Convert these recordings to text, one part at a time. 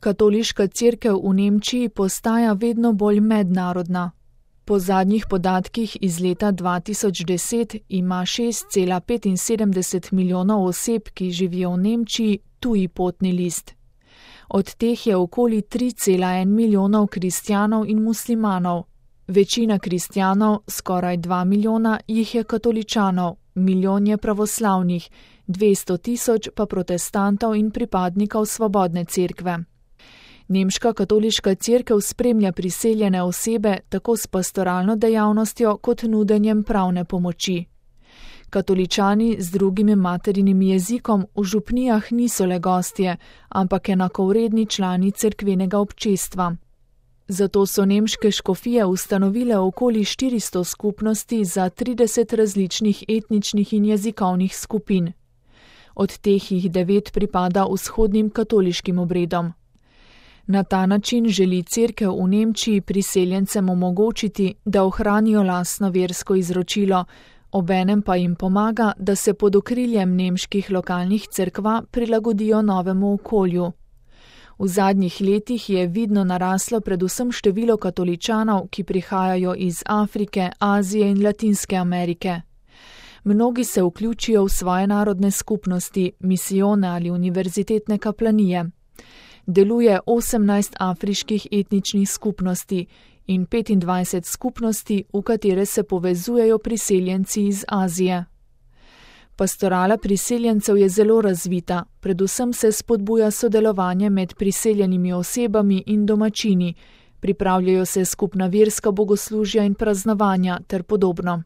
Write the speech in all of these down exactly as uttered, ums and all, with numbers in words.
Katoliška cerkev v Nemčiji postaja vedno bolj mednarodna. Po zadnjih podatkih iz leta dva tisoč deset ima šest cela petinsedemdeset milijonov oseb, ki živijo v Nemčiji, tuji potni list. Od teh je okoli tri cela en milijonov kristjanov in muslimanov. Večina kristjanov, skoraj dva milijona, jih je katoličanov, milijon je pravoslavnih, dvesto tisoč pa protestantov in pripadnikov svobodne cerkve. Nemška katoliška cerkev spremlja priseljene osebe tako s pastoralno dejavnostjo kot nudenjem pravne pomoči. Katoličani z drugim materinim jezikom v župnijah niso le gostje, ampak enakovredni člani cerkvenega občestva. Zato so nemške škofije ustanovile okoli štiristo skupnosti za trideset različnih etničnih in jezikovnih skupin. Od teh jih devet pripada vzhodnim katoliškim obredom. Na ta način želi cerkev v Nemčiji priseljencem omogočiti, da ohranijo lastno versko izročilo, obenem pa jim pomaga, da se pod okriljem nemških lokalnih cerkva prilagodijo novemu okolju. V zadnjih letih je vidno naraslo predvsem število katoličanov, ki prihajajo iz Afrike, Azije in Latinske Amerike. Mnogi se vključijo v svoje narodne skupnosti, misijone ali univerzitetne kaplanije. Deluje osemnajst afriških etničnih skupnosti in petindvajset skupnosti, v katere se povezujejo priseljenci iz Azije. Pastorala priseljencev je zelo razvita, predvsem se spodbuja sodelovanje med priseljenimi osebami in domačini, pripravljajo se skupna verska bogoslužja in praznovanja ter podobno.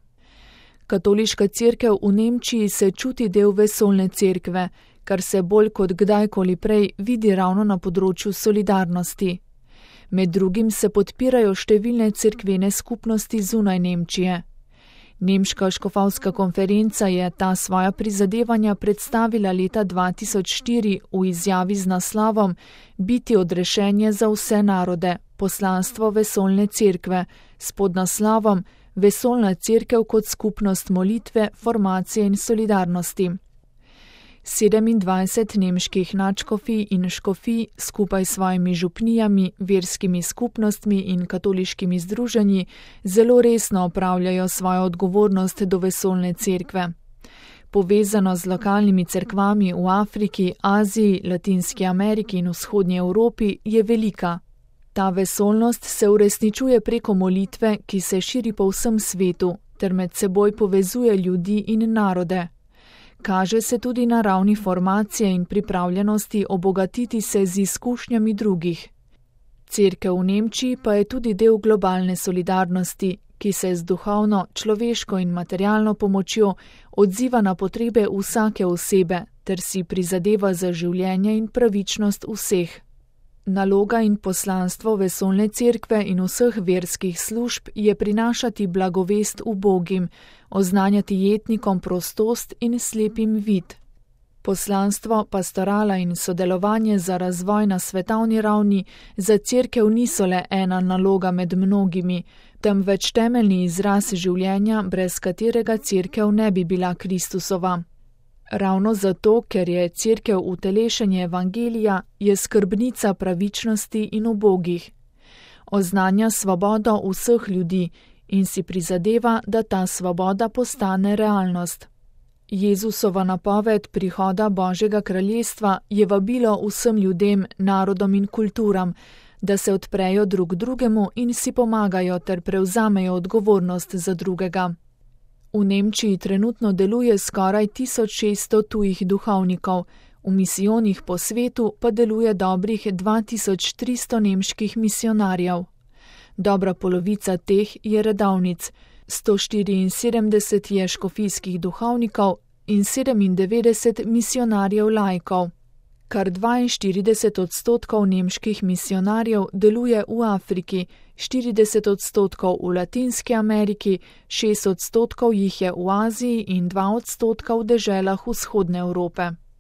Katoliška cerkev v Nemčiji se čuti del vesoljne cerkve, kar se bolj kot kdajkoli prej vidi ravno na področju solidarnosti. Med drugim se podpirajo številne cerkvene skupnosti zunaj Nemčije. Nemška škofovska konferenca je ta svoja prizadevanja predstavila leta dva tisoč štiri v izjavi z naslovom Biti odrešenje za vse narode, poslanstvo vesoljne cerkve, s podnaslovom Vesoljna cerkev kot skupnost molitve, formacije in solidarnosti. sedemindvajset nemških nadškofij in škofij skupaj s svojimi župnijami, verskimi skupnostmi in katoliškimi združenji zelo resno opravljajo svojo odgovornost do vesoljne cerkve. Povezano z lokalnimi cerkvami v Afriki, Aziji, Latinski Ameriki in vzhodnji Evropi je velika. Ta vesoljnost se uresničuje preko molitve, ki se širi po vsem svetu, ter med seboj povezuje ljudi in narode. Kaže se tudi na ravni formacije in pripravljenosti obogatiti se z izkušnjami drugih. Cerkev v Nemčiji pa je tudi del globalne solidarnosti, ki se z duhovno, človeško in materialno pomočjo odziva na potrebe vsake osebe ter si prizadeva za življenje in pravičnost vseh. Naloga in poslanstvo vesoljne cerkve in vseh verskih služb je prinašati blagovest ubogim, oznanjati jetnikom prostost in slepim vid. Poslanstvo, pastorala in sodelovanje za razvoj na svetovni ravni za cerkev niso le ena naloga med mnogimi, temveč temeljni izraz življenja, brez katerega cerkev ne bi bila Kristusova. Ravno zato, ker je cerkev utelešenje evangelija, je skrbnica pravičnosti in ubogih. Oznanja svobodo vseh ljudi in si prizadeva, da ta svoboda postane realnost. Jezusova napoved prihoda Božjega kraljestva je vabilo vsem ljudem, narodom in kulturam, da se odprejo drug drugemu in si pomagajo ter prevzamejo odgovornost za drugega. V Nemčiji trenutno deluje skoraj tisoč šeststo tujih duhovnikov, v misijonih po svetu pa deluje dobrih dva tisoč tristo nemških misionarjev. Dobra polovica teh je redovnic, sto štiriinsedemdeset je škofijskih duhovnikov in sedemindevetdeset misionarjev laikov. Kar dvainštirideset odstotkov nemških misionarjev deluje v Afriki, štirideset odstotkov v Latinski Ameriki, šest odstotkov jih je v Aziji in dva odstotka v deželah vzhodne Evrope.